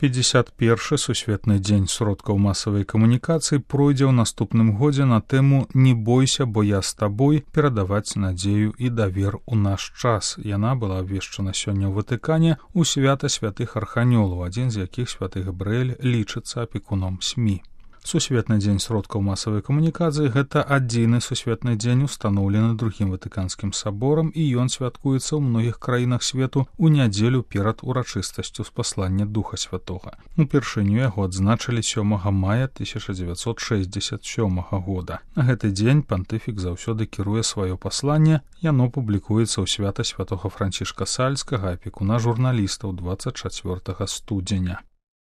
51-шы сусветны дзень сродкаў масавай камунікацыі пройдзе ў наступным годзе на тэму «Не бойся, бо я з табой» перадаваць надзею і давер у наш час. Яна была абвешчана сёння ў Ватыкане ў свята святых арханёлаў, адзін з якіх святы Габрыэль лічыцца апекуном СМІ. Сусветны дзень сродкаў масавай камунікацыі – гэта адзіны сусветны дзень, устаноўлены другім Ватыканскім саборам, і ён святкуецца ў многіх краінах свету ў нядзелю перад урачыстасцю спаслання Духа Святога. Упершыню яго адзначылі 7 мая 1967 года. На гэты дзень пантыфік заўсёды кіруе сваё пасланне, яно публікуецца ў свята святога Францішка Сальскага, апекуна журналістаў 24 студзеня.